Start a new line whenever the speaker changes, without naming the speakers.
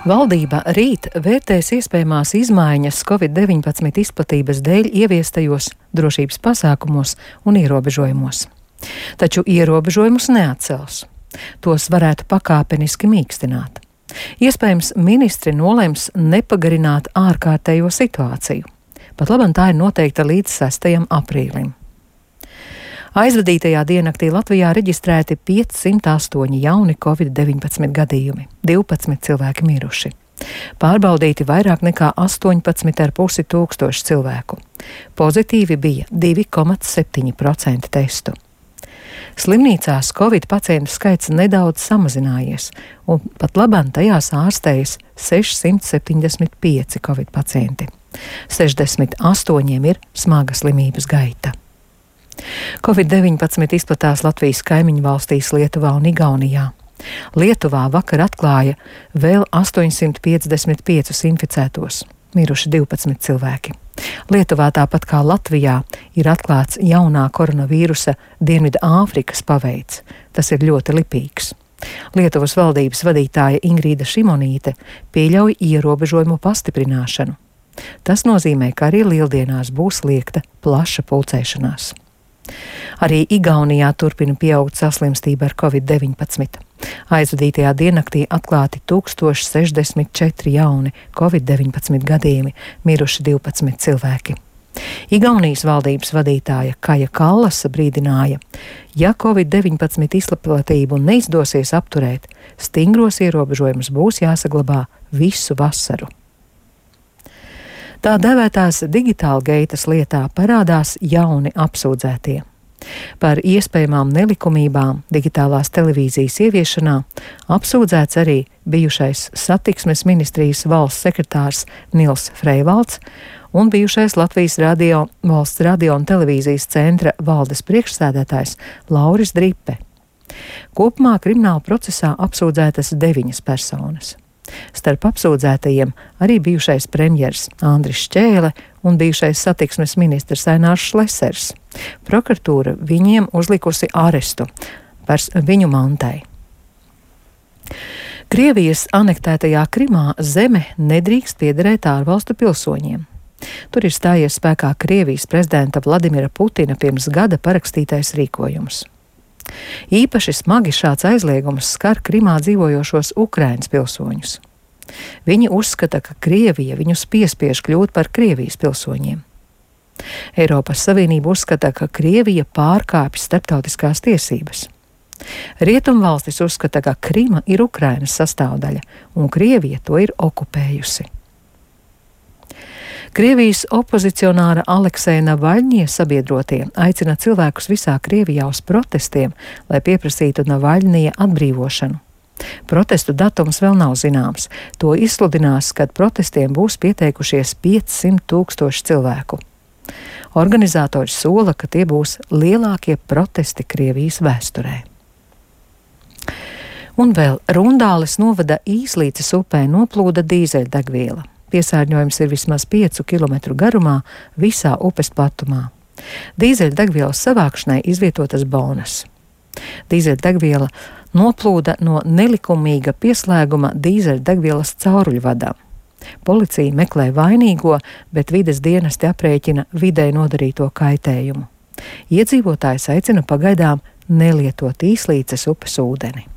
Valdība rīt vērtēs iespējamās izmaiņas Covid-19 izplatības dēļ ieviestajos drošības pasākumos un ierobežojumos. Taču ierobežojumus neatcels. Tos varētu pakāpeniski mīkstināt. Iespējams, ministri nolems nepagarināt ārkārtējo situāciju. Pat labam tā ir noteikta līdz 6. aprīlim. Aizvadītajā diennaktī Latvijā reģistrēti 508 jauni Covid-19 gadījumi, 12 cilvēki miruši. Pārbaudīti vairāk nekā 18,5 tūkstoši cilvēku. Pozitīvi bija 2,7% testu. Slimnīcās Covid pacientu skaits nedaudz samazinājies, un pat labam tajās ārstējas 675 Covid pacienti. 68 ir smaga slimības gaita. Covid-19 izplatās Latvijas kaimiņu valstīs Lietuvā un Igaunijā. Lietuvā vakar atklāja vēl 855 inficētos, miruši 12 cilvēki. Lietuvā tāpat kā Latvijā ir atklāts jaunā koronavīrusa Dienvidu Āfrikas paveids. Tas ir ļoti lipīgs. Lietuvas valdības vadītāja Ingrīda Šimonīte pieļauj ierobežojumu pastiprināšanu. Tas nozīmē, ka arī lieldienās būs liegta plaša pulcēšanās. Arī Igaunijā turpina pieaugt saslimstība ar Covid-19. Aizvadītajā diennaktī atklāti 1064 jauni Covid-19 gadījumi, miruši 12 cilvēki. Igaunijas valdības vadītāja Kaja Kallasa brīdināja, ja Covid-19 izplatību neizdosies apturēt, stingros ierobežojumus būs jāsaglabā visu vasaru. Tā dēvētās digitāla geitas lietā parādās jauni apsūdzētie. Par iespējamām nelikumībām digitālās televīzijas ieviešanā apsūdzēts arī bijušais satiksmes ministrijas valsts sekretārs Nils Freivalds un bijušais Latvijas valsts radio un televīzijas centra valdes priekšsēdētājs Lauris Dripe. Kopumā krimināla procesā apsūdzētas 9 personas. Starp apsūdzētajiem arī bijušais premjers Andris Šķēle un bijušais satiksmes ministrs Ainārs Šlesers. Prokuratūra viņiem uzlikusi arestu par viņu mantai. Krievijas anektētajā Krimā zeme nedrīkst piederēt ārvalstu pilsoņiem. Tur ir stājies spēkā Krievijas prezidenta Vladimira Putina pirms gada parakstītais rīkojums. Īpaši smagi šāds aizliegums skar Krimā dzīvojošos Ukrainas pilsoņus. Viņi uzskata, ka Krievija viņus piespiež kļūt par Krievijas pilsoņiem. Eiropas Savienība uzskata, ka Krievija pārkāpj starptautiskās tiesības. Rietumvalstis uzskata, ka Krima ir Ukrainas sastāvdaļa, un Krievija to ir okupējusi. Krievijas opozicionāra Alekseja Navaļņie sabiedrotie aicina cilvēkus visā Krievijā uz protestiem, lai pieprasītu Navaļņija atbrīvošanu. Protestu datums vēl nav zināms. To izsludinās, kad protestiem būs pieteikušies 500,000 cilvēku. Organizatori sola, ka tie būs lielākie protesti Krievijas vēsturē. Un vēl Rundāles novada Īslīces upē noplūda dīzeļdegviela. Piesārņojums ir vismaz 5 kilometru garumā visā upes platumā. Dīzeļdegvielas savākšanai izvietotas bonas. Dīzeļdegviela noplūda no nelikumīga pieslēguma dīzeļdegvielas cauruļvadam. Policija meklē vainīgo, bet vides dienesti aprēķina videi nodarīto kaitējumu. Iedzīvotājs aicina pagaidām nelietot Īslīces upes ūdeni.